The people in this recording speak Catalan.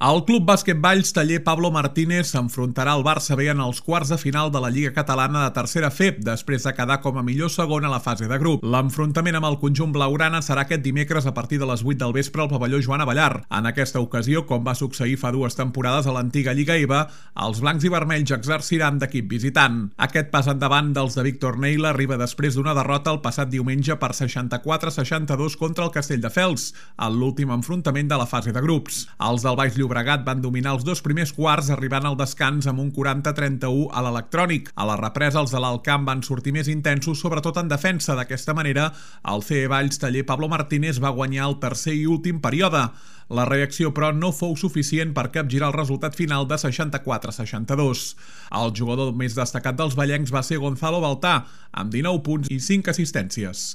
El Club Bàsquet Valls Taller Pablo Martínez s'enfrontarà al Barça B en els quarts de final de la Lliga Catalana de Tercera FEB, després de quedar com a millor segon a la fase de grup. L'enfrontament amb el conjunt blaugrana serà aquest dimecres a partir de les 8 del vespre al pavelló Joan Abellar. En aquesta ocasió, com va succeir fa 2 temporades a l'antiga Lliga EVA, els blancs i vermells exerciran d'equip visitant. Aquest pas endavant dels de Víctor Neila arriba després d'una derrota el passat diumenge per 64-62 contra el Castelldefels, en l'últim enfrontament de la fase de grups. Els del Baix Llobregat van dominar els 2 primers quarts, arribant al descans amb un 40-31 a l'electrònic. A la represa, els de l'Alt Camp van sortir més intensos, sobretot en defensa. D'aquesta manera, el CE Valls Taller Pablo Martínez va guanyar el tercer i últim període. La reacció, però, no fou suficient per capgirar el resultat final de 64-62. El jugador més destacat dels vallencs va ser Gonzalo Baltà, amb 19 punts i 5 assistències.